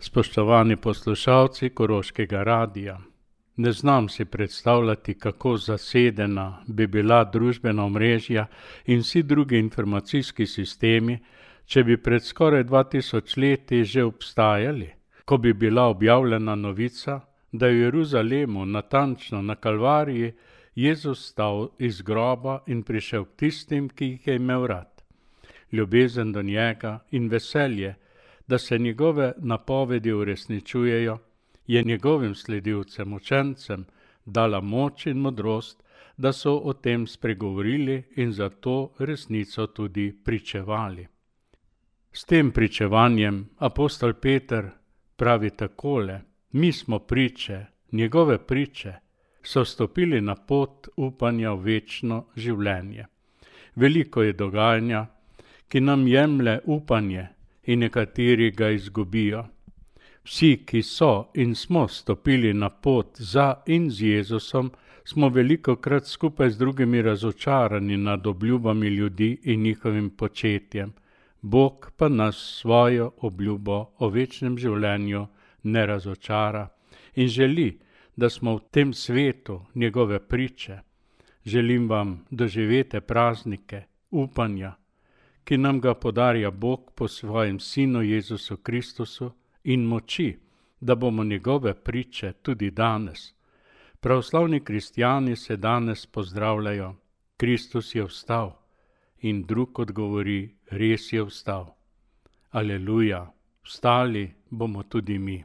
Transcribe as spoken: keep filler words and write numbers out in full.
Spoštovani poslušalci Koroškega radia, ne znam si predstavljati, kako zasedena bi bila družbena omrežja in vsi drugi informacijski sistemi, če bi pred skoraj dva tisoč leti že obstajali, ko bi bila objavljena novica, da je v Jeruzalemu, natančno na Kalvariji, Jezus stal iz groba in prišel k tistim, ki jih je imel rad. Ljubezen do njega in veselje, da se njegove napovedi uresničujejo, je njegovim sledilcem, učencem, dala moč in modrost, da so o tem spregovorili in zato resnico tudi pričevali. S tem pričevanjem apostol Peter pravi takole: mi smo priče, njegove priče, so stopili na pot upanja v večno življenje. Veliko je dogajanja, ki nam jemlje upanje, in nekateri ga izgubijo. Vsi, ki so in smo stopili na pot za in z Jezusom, smo velikokrat skupaj z drugimi razočarani nad obljubami ljudi in njihovim početjem. Bog pa nas svojo obljubo o večnem življenju ne razočara in želi, da smo v tem svetu njegove priče. Želim vam doživete praznike, upanja, ki nam ga podarja Bog po svojem Sinu Jezusu Kristusu in moči, da bomo njegove priče tudi danes. Pravoslavni kristjani se danes pozdravljajo: Kristus je vstal, in drug odgovori: res je vstal. Aleluja, vstali bomo tudi mi.